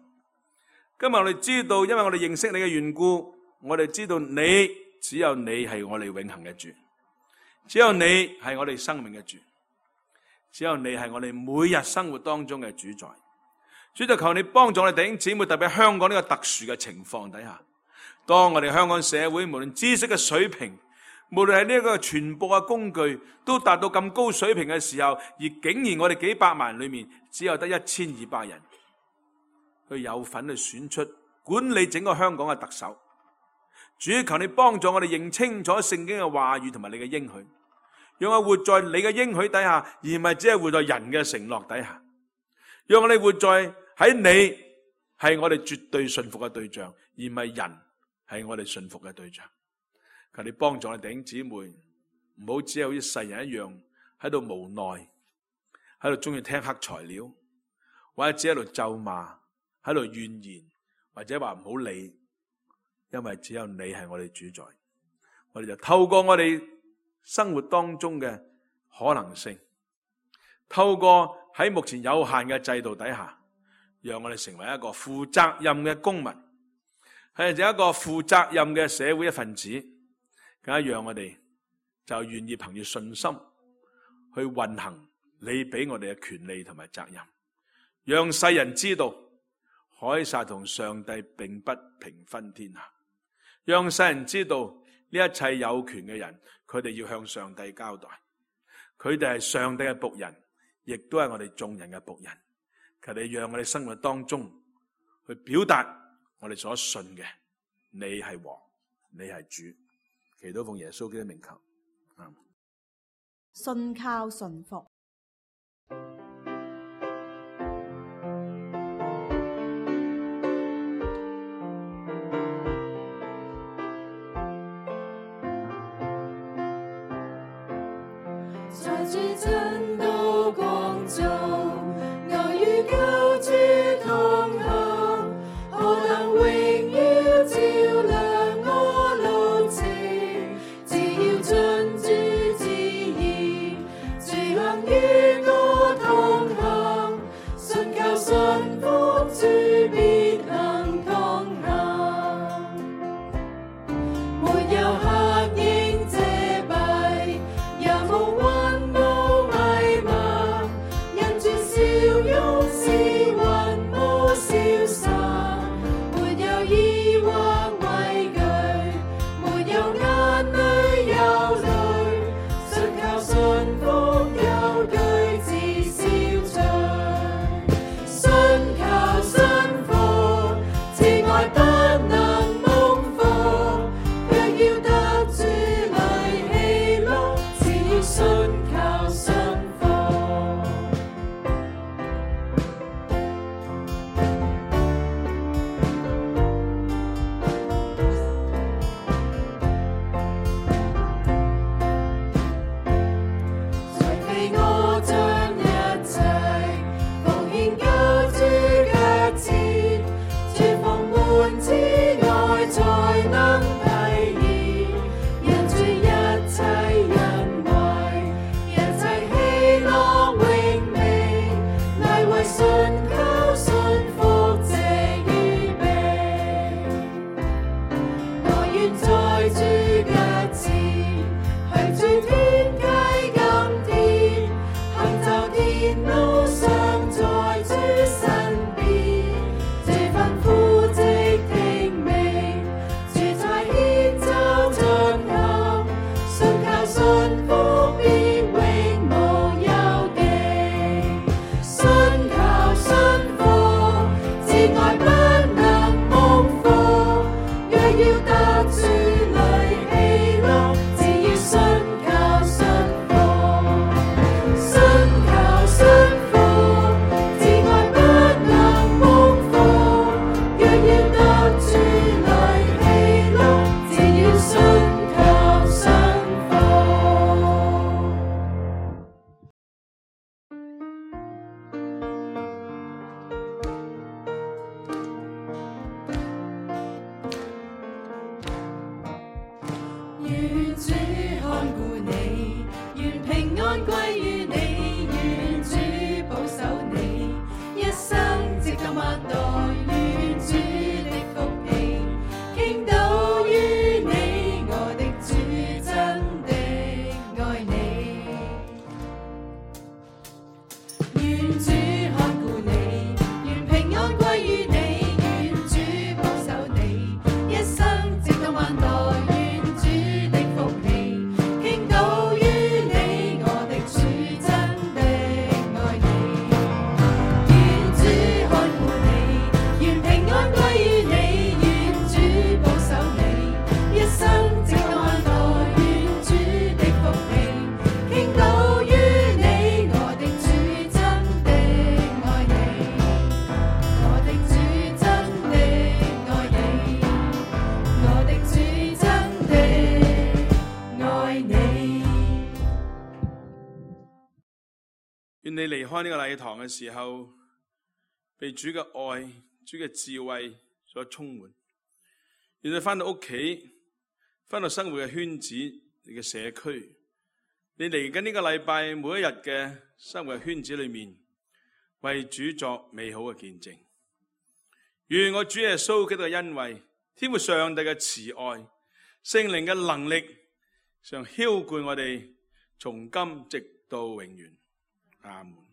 今日我哋知道，因為我哋認識你嘅緣故，我哋知道你，只有你係我哋永恆嘅主，只有你係我哋生命嘅主，只有你係我哋每日生活當中嘅主宰。主，就求你幫助我哋弟兄姊妹，特別香港呢個特殊嘅情況底下，當我哋香港社會無論知識嘅水平，無論係呢一個傳播嘅工具都達到咁高水平嘅時候，而竟然我哋幾百萬人裏面只有得1200人去有份去選出管理整個香港嘅特首。主，求你幫助我哋認清楚聖經嘅話語同埋你嘅應許，讓我活在你嘅應許底下，而唔係只係活在人嘅承諾底下。讓我哋活在喺你係我哋絕對信服嘅對象，而唔係人係我哋信服嘅對象。求你幫助我哋弟兄姊妹，唔好只係好似世人一樣喺度無奈，喺度中意聽黑材料，或者只喺度咒罵，喺度怨言，或者話唔好理，因為只有你係我哋主宰。我哋就透過我哋生活當中嘅可能性，透過喺目前有限嘅制度底下，讓我哋成為一個負責任嘅公民，係一個負責任嘅社會一份子。更加讓我哋就願意憑住信心去運行你俾我哋嘅權利同埋責任，讓世人知道凱撒同上帝並不平分天下，讓世人知道呢一切有權嘅人，佢哋要向上帝交代，佢哋係上帝嘅僕人，亦都係我哋眾人嘅僕人。求你讓我哋生活當中去表達我哋所信嘅，你係王，你係主。祈禱奉耶穌基督名求，信靠順服。在至真道光中，我與救主同行，何等榮耀照亮我路程。只要遵主旨意，隨行愛不能蒙福，若要得主來喜樂，只要信靠信服，信靠信服，至愛不能蒙福，若要得主來喜樂，只要信靠信服。願主看顧你，願平安歸於你，願主保守你，一生直到萬代，願主的福氣傾倒於你，我的主真的愛你。願主看顧你，願平安歸於你，願主保守你，一生直到萬代。願你離開呢個禮堂嘅時候，被主嘅愛、主嘅智慧所充滿。願你返到屋企，返到生活嘅圈子、你嘅社區，你嚟緊呢個禮拜每一日嘅生活嘅圈子裏面，為主作美好嘅見證。願我主耶穌基督嘅恩惠、天父上帝嘅慈愛、聖靈嘅能力，常澆灌我哋，從今直到永遠。阿門。